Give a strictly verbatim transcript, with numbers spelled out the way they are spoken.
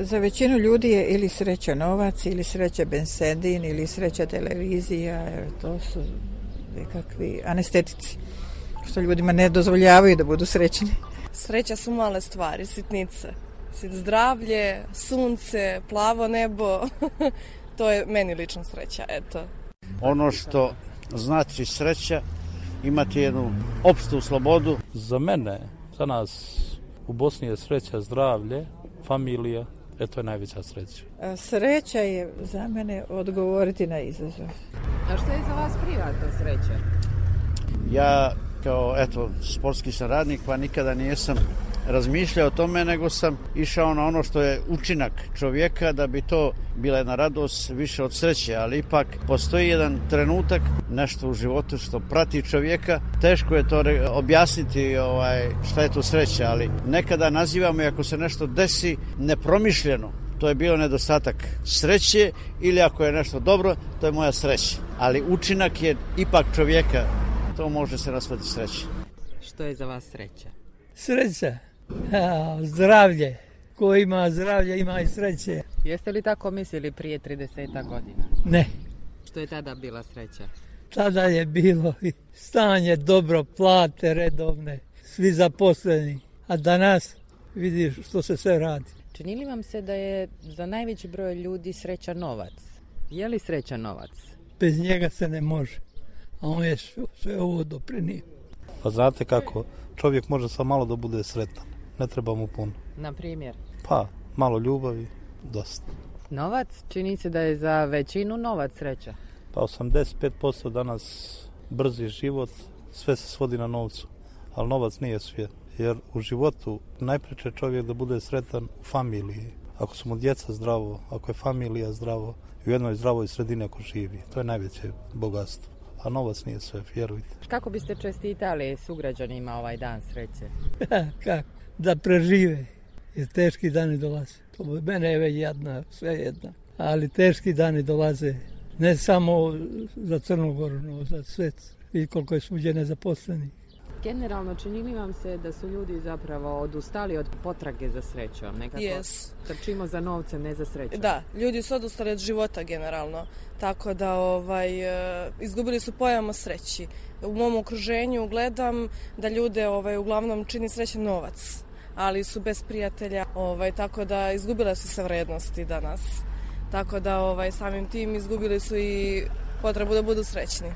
Za većinu ljudi je ili sreća novac, ili sreća bensedin, ili sreća televizija. To su nekakvi anestetici što ljudima ne dozvoljavaju da budu srećni. Sreća su male stvari, sitnice. Zdravlje, sunce, plavo nebo, to je meni lično sreća, eto. Ono što znači sreća, imati jednu opštu slobodu. Za mene, za nas u Bosni je sreća zdravlje, familija, eto je najveća sreća. Sreća je za mene odgovoriti na izazov. A što je za vas privatno sreća? Ja kao eto sportski sam radnik, pa nikada nisam razmišljao o tome, nego sam išao na ono što je učinak čovjeka da bi to bila jedna radost više od sreće, ali ipak postoji jedan trenutak, nešto u životu što prati čovjeka, teško je to objasniti ovaj, šta je to sreća, ali nekada nazivamo i ako se nešto desi nepromišljeno, to je bio nedostatak sreće, ili ako je nešto dobro, to je moja sreća, ali učinak je ipak čovjeka, to može se nazvati sreća. Što je za vas sreća? Sreća? A, zdravlje. Ko ima zdravlje, ima i sreće. Jeste li tako mislili prije trideset godina? Ne. Što je tada bila sreća? Tada je bilo stanje dobro, plate redovne, svi zaposleni. A danas vidiš što se sve radi. Čini li vam se da je za najveći broj ljudi sreća novac? Je li sreća novac? Bez njega se ne može. A on je sve ovo doprinio. Pa znate kako, čovjek može samo malo da bude sretan. Ne treba mu puno. Na primjer? Pa, malo ljubavi, dosta. Novac? Čini se da je za većinu novac sreća. Pa osamdeset pet posto danas brzi život, sve se svodi na novcu. Ali novac nije sve. Jer u životu najpreče čovjek da bude sretan u familiji. Ako su mu djeca zdravo, ako je familija zdravo i u jednoj zdravoj sredini ako živi. To je najveće bogatstvo. A novac nije sve, vjerujte. Kako biste čestitali sugrađanima ovaj dan sreće? Kako? Da prežive, jer teški dani dolaze. To mene je već jedna, sve jedna. Ali teški dani dolaze, ne samo za Crnu Goru, no za svet. I koliko je svuđe nezaposlenih. Generalno, čini li vam se da su ljudi zapravo odustali od potrage za srećom? Nekako yes. Trčimo za novcem, ne za srećom. Da, ljudi su odustali od života generalno. Tako da ovaj, izgubili su pojam o sreći. U mom okruženju gledam da ljude ovaj, uglavnom čini srećan novac, ali su bez prijatelja, ovaj, tako da izgubile su se vrednosti danas. Tako da ovaj, samim tim izgubili su i potrebu da budu srećni.